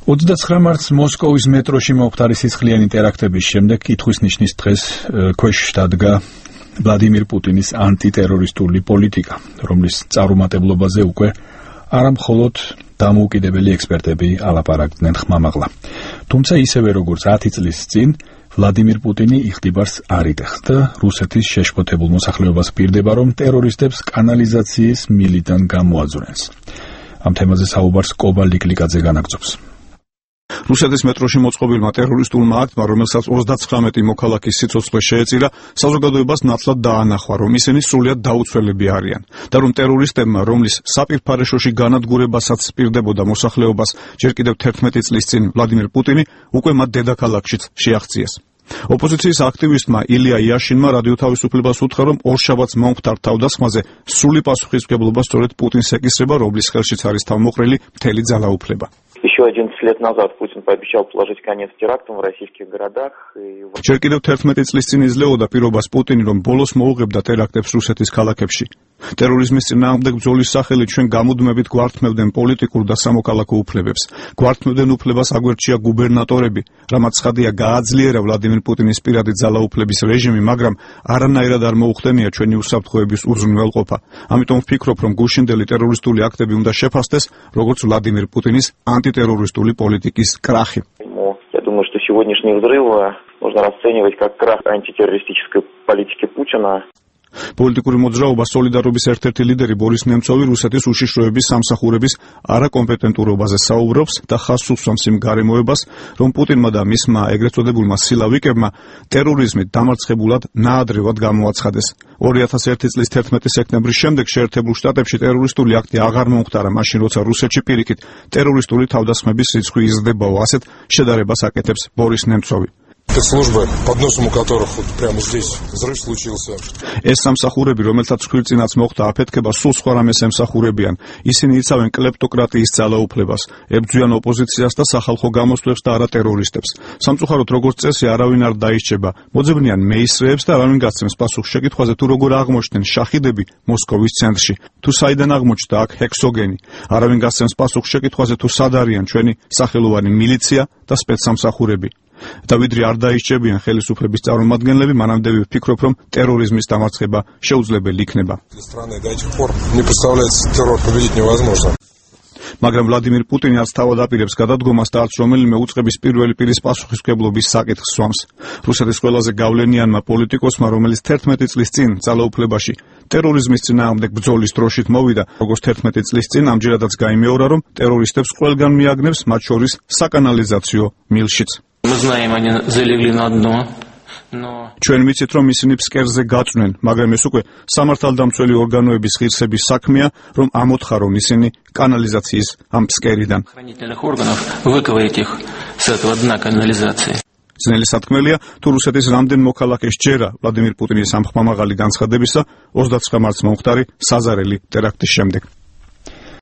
29 მარტს მოსკოვის მეტროში მომხდარი სისხლიანი ტერაქტების შემდეგ კითხვის ნიშნის დღეს ქვეშ დადგა ვლადიმირ პუტინის ანტიტერორისტული პოლიტიკა, რომლის წარუმატებლობაზე უკვე არა მხოლოდ დამოუკიდებელი ექსპერტები ალაპარაკდნენ ხმამაღლა. თუმცა ისევე როგორც 10 წლის წინ ვლადიმირ პუტინი იხტიბარს არ იტეხს და რუსეთის შეშფოთებულ მოსახლეობას პირდება, რომ ტერორისტებს კანალიზაციის მილიდან გამოაძვრენს. ამ თემაზე საუბარს კობა ლიკლიკაძე განაგრძობს. რუსეთის მეტროში მოწყობილმა ტერორისტულმა აქტმა, რომელსაც 39 მოქალაქის სიცოცხლე შეეწირა, საზოგადოებას ნათლად დაანახვა, რომ ისინი სრულიად დაუცველები არიან და რომ ტერორისტებმა, რომლის საპირფარეშოში განადგურებასაც პირდებოდა მოსახლეობას ჯერ კიდევ 11 წლის წინ ვლადიმირ პუტინი, უკვე მათ დედაქალაქშიც შეაღწიეს. ოპოზიციის აქტივისტმა ილია იაშინმა რადიო თავისუფლებას უთხრა, რომ ორშაბათს მომხდარ თავდასხმაზე სრული პასუხისმგებლობა სწორედ პუტინს ეკისრება, რომლის ხელშიც არის თავმოყრილი მთელი ძალაუფლება. Еще 11 лет назад Путин пообещал положить конец терактам в российских городах. ჯერ კიდევ 11 წლის წინ იძლეოდა პირობას პუტინი, რომ ბოლოს მოუღებდა ტერაქტებს რუსეთის ქალაქებში. ტერორიზმის წინააღმდეგ ბრძოლის სახელით ჩვენ გამუდმებით გვართმევდნენ პოლიტიკურ და სამოქალაქო უფლებებს. გვართმევდნენ უფლებას აგვერჩია გუბერნატორები, რამაც ცხადია გააძლიერა ვლადიმირ პუტინის პირადი ძალაუფლების რეჟიმი, მაგრამ არანაირად არ მოუხდენია ჩვენი უსაფრთხოების უზრუნველყოფა. ამიტომ ვფიქრობ, რომ გუშინდელი ტერორისტული აქტები უნდა შეფასდეს, როგორც ვლადიმირ პუტინის антитеррористული პოლიტიკის крахи. Я думаю, что сегодняшний взрыв можно расценивать как крах антитеррористической политики Путина. პოლიტიკური მოძრაობა სოლიდარობის ერთ-ერთი ლიდერი ბორის ნემცოვი რუსეთის უშიშროების სამსახურების არაკომპეტენტურობაზე საუბრობს და ხაზს უსვამს იმ გარემოებას, რომ პუტინმა და მისმა ეგრეთ წოდებულმა სილავიკებმა ტერორიზმით დამარცხებულად ნაადრევად გამოაცხადეს. 2001 წლის 11 სექტემბრის შემდეგ შეერთებულ შტატებში ტერორისტული აქტი აღარ მომხდარა, მაშინ როცა რუსეთში პირიქით ტერორისტული თავდასხმების რიცხვი იზრდებაო, ასეთ შედარებას აკეთებს ბორის ნემცოვი. Спецслужбы, под носом у которых вот прямо здесь взрыв случился. ეს სამსახურები, რომელთაც ხვილწინაც მოხდა აფეთქება, სულ სხვა რამეს ემსახურებიან. ისინი იცავენ კლეპტოკრატიის ძალაუფლებას, ებრძვიან ოპოზიციას და სახალხო გამოსვლებს და არა ტერორისტებს. სამწუხაროდ, როგორც წესი, არავინ არ დაისჯება. მოძებნიან მეისრეებს და არავინ გასცემს პასუხს შეკითხვაზე, თუ როგორ აღმოჩნდნენ შაჰიდები მოსკოვის ცენტრში. თუ საიდან აღმოჩნდა აქ ჰექსოგენი. არავინ გასცემს პასუხს შეკითხვაზე, თუ სად არიან ჩვენი სახელოვანი მილიცია და სპეცსამსახურები. და ვიდრე არ დაისჯებიან ხელისუფლების წარმომადგენლები, მანამდე ვფიქრობ, რომ ტერორიზმის დამარცხება შეუძლებელი იქნება. მაგრამ ვლადიმირ პუტინი არც თავად აპირებს გადადგომას და არც რომელიმე უწყების პირველი პირის პასუხისმგებლობის საკითხს სვამს. რუსეთის ყველაზე გავლენიანმა პოლიტიკოსმა, რომელიც 11 წლის წინ ძალაუფლებაში ტერორიზმის წინააღმდეგ ბრძოლის დროშით მოვიდა, როგორც 11 წლის წინ, ამჯერადაც გაიმეორა, რომ ტერორისტებს ყველგან მიაგნებს, მათ შორის საკანალიზაციო მილშიც. Мы знаем, они залегли на дно. ჩვენ ვიცით, რომ ისინი ფსკერზე გაწვნენ, მაგრამ ეს უკვე სამართალდამცველი ორგანოების ღირსების საქმეა, რომ ამოთხარონ ისინი კანალიზაციის ამ ფსკერიდან. ძნელი სათქმელია, თუ რუსეთის რამდენ მოქალაქეს ჯერა ვლადიმირ პუტინის ამ ხმამაღალი განცხადებისა 29 მარტს მომხდარი საზარელი ტერაქტის შემდეგ.